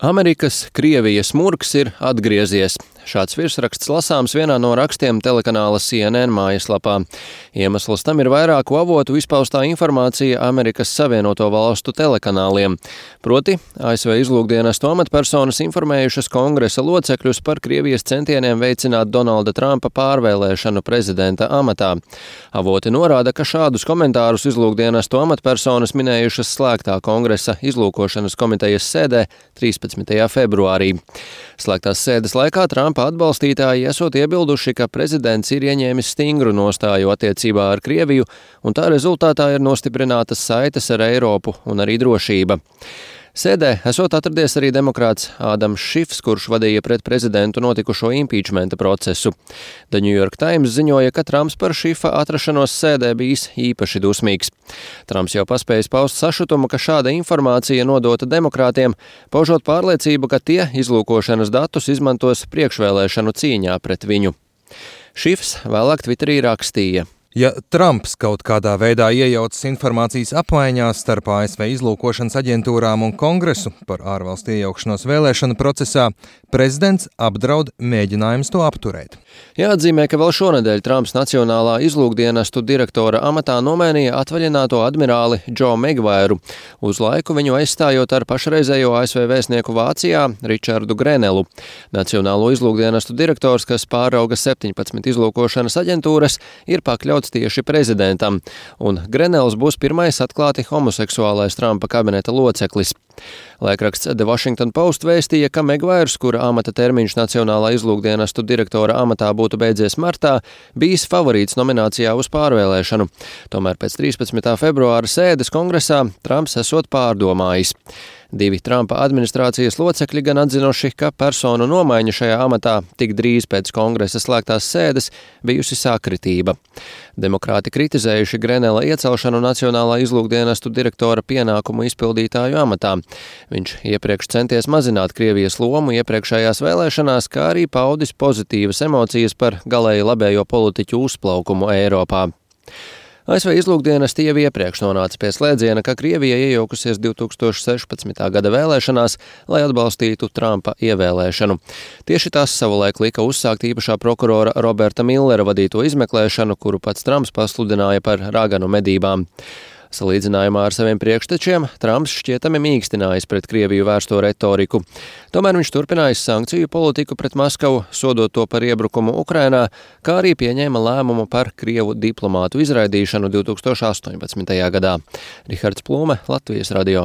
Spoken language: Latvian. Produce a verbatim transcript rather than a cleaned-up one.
Amerikas Krievijas murgs ir atgriezies. Šāds virsraksts lasāms vienā no rakstiem telekanāla C N N mājaslapā. Iemesls tam ir vairāku avotu izpaustā informācija Amerikas Savienoto Valstu telekanāliem. Proti, A S V izlūkdienestu amatpersonas informējušas kongresa locekļus par Krievijas centieniem veicināt Donalda Trumpa pārvēlēšanu prezidenta amatā. Avoti norāda, ka šādus komentārus izlūkdienestu amatpersonas minējušas slēgtā kongresa izlūkošanas komitejas sēdē trīspadsmitajā februārī. Slēgtās sēdes laikā Trumpa atbalstītāji esot iebilduši, ka prezidents ir ieņēmis stingru nostāju attiecībā ar Krieviju, un tā rezultātā ir nostiprinātas saites ar Eiropu un arī drošība. Sēdē esot atradies arī demokrāts Ādams Šifs, kurš vadīja pret prezidentu notikušo impīčmenta procesu. The New York Times ziņoja, ka Trumps par Šifa atrašanos sēdē bijis īpaši dusmīgs. Trumps jau paspējis paust sašutumu, ka šāda informācija nodota demokrātiem, paužot pārliecību, ka tie izlūkošanas datus izmantos priekšvēlēšanu cīņā pret viņu. Šifs vēlāk Twitterī rakstīja: Ja Trumps kaut kādā veidā iejaucas informācijas apmaiņā starp A S V izlūkošanas aģentūrām un Kongresu par ārvalstu iejaukšanos vēlēšanu procesā, prezidents apdraud mēģinājums to apturēt. Jāatzīmē, ka vēl šonedēļ Trumps Nacionālā izlūkdienestu direktora amatā nomainīja atvaļināto admirāli Džo Megvairu, uz laiku viņu aizstājot ar pašreizējo A S V vēstnieku Vācijā Ričardu Grenelu. Nacionālo izlūkdienestu direktors, kas pārauga septiņpadsmit izlūkošanas aģentūras, ir pakļauts tieši prezidentam, un Grenels būs pirmais atklāti homoseksuālais Trumpa kabineta loceklis. Laikraksts The Washington Post vēstīja, ka Megvairs, kura amata termiņš Nacionālā izlūkdienestu direktora amatā būtu beidzies martā, bijis favorīts nominācijā uz pārvēlēšanu. Tomēr pēc trīspadsmitā februāra sēdes kongresā Trumps esot pārdomājis. Divi Trumpa administrācijas locekļi gan atzinuši, ka personu nomaiņa šajā amatā tik drīz pēc kongresa slēgtās sēdes bijusi sakritība. Demokrāti kritizējuši Grenela iecelšanu Nacionālā izlūkdienestu direktora pienākumu izpildītāju amatā. Viņš iepriekš centies mazināt Krievijas lomu iepriekšējās vēlēšanās, kā arī paudis pozitīvas emocijas par galēji labējo politiķu uzplaukumu Eiropā. A S V izlūkdienesti jau iepriekš nonāca pie slēdziena, ka Krievija iejaukusies divtūkstoš sešpadsmitā gada vēlēšanās, lai atbalstītu Trumpa ievēlēšanu. Tieši tas savulaik lika uzsākt īpašā prokurora Roberta Millera vadīto izmeklēšanu, kuru pats Trumps pasludināja par raganu medībām. Salīdzinājumā ar saviem priekštečiem Trumps šķietami mīkstinājis pret Krieviju vērsto retoriku. Tomēr viņš turpinājis sankciju politiku pret Maskavu, sodot to par iebrukumu Ukrainā, kā arī pieņēma lēmumu par Krievu diplomātu izraidīšanu divtūkstoš astoņpadsmitajā gadā. Rihards Plūme, Latvijas radio.